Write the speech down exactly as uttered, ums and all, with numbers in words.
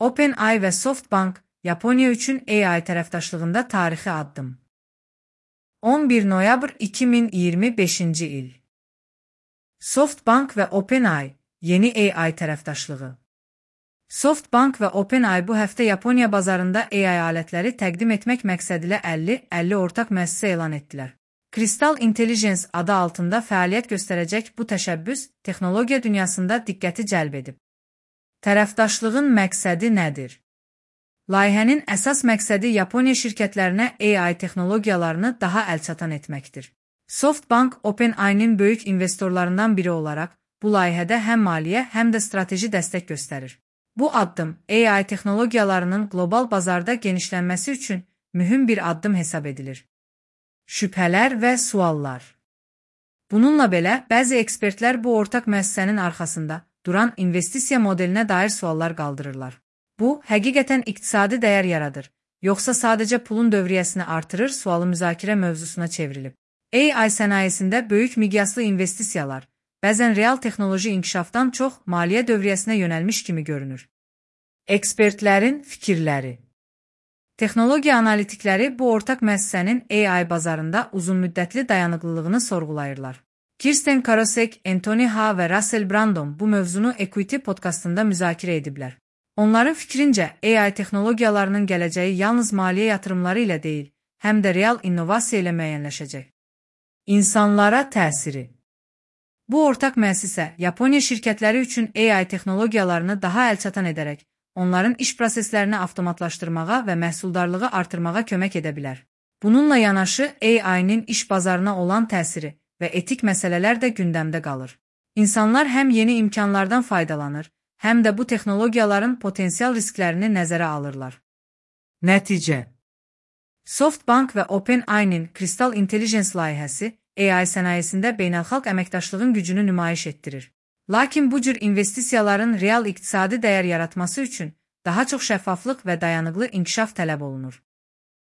OpenAI və SoftBank Yaponiya üçün A I tərəfdaşlığında tarixi addım. on bir noyabr iki min iyirmi beşinci il. SoftBank və OpenAI yeni A I tərəfdaşlığı. SoftBank və OpenAI bu həftə Yaponiya bazarında A I alətləri təqdim etmək məqsədilə əlli əlli ortaq müəssisə elan etdilər. Crystal Intelligence adı altında fəaliyyət göstərəcək bu təşəbbüs texnologiya dünyasında diqqəti cəlb edib. Tərəfdaşlığın məqsədi nədir? Layihənin əsas məqsədi Yaponiya şirkətlərinə A I texnologiyalarını daha əlçatan etməkdir. SoftBank OpenAI-nin böyük investorlarından biri olaraq bu layihədə həm maliyyə, həm də strateji dəstək göstərir. Bu addım A I texnologiyalarının qlobal bazarda genişlənməsi üçün mühüm bir addım hesab edilir. Şübhələr və suallar. Bununla belə, bəzi ekspertlər bu ortaq müəssisənin arxasında duran investisiya modelinə dair suallar qaldırırlar. Bu, həqiqətən iqtisadi dəyər yaradır, yoxsa sadəcə pulun dövriyyəsini artırır sualı müzakirə mövzusuna çevrilib. A I sənayesində böyük miqyaslı investisiyalar, bəzən real texnoloji inkişafdan çox maliyyə dövriyyəsinə yönəlmiş kimi görünür. Ekspertlərin fikirləri. Texnologiya analitikləri bu ortaq müəssisənin A I bazarında uzunmüddətli dayanıqlılığını sorğulayırlar. Kirsten Karosek, Anthony Ha və Russell Brandon bu mövzunu Equity podkastında müzakirə ediblər. Onların fikrincə, A I texnologiyalarının gələcəyi yalnız maliyyə yatırımları ilə deyil, həm də real innovasiya ilə müəyyənləşəcək. İnsanlara təsiri. Bu ortaq müəssisə Yaponiya şirkətləri üçün A I texnologiyalarını daha əlçatan edərək, onların iş proseslərini avtomatlaşdırmağa və məhsuldarlığı artırmağa kömək edə bilər. Bununla yanaşı, A I-nin iş bazarına olan təsiri və etik məsələlər də gündəmdə qalır. İnsanlar həm yeni imkanlardan faydalanır, həm də bu texnologiyaların potensial risklərini nəzərə alırlar. Nəticə. SoftBank və OpenAI-nin Crystal Intelligence layihəsi A I sənayesində beynəlxalq əməkdaşlığın gücünü nümayiş etdirir. Lakin bu cür investisiyaların real iqtisadi dəyər yaratması üçün daha çox şəffaflıq və dayanıqlı inkişaf tələb olunur.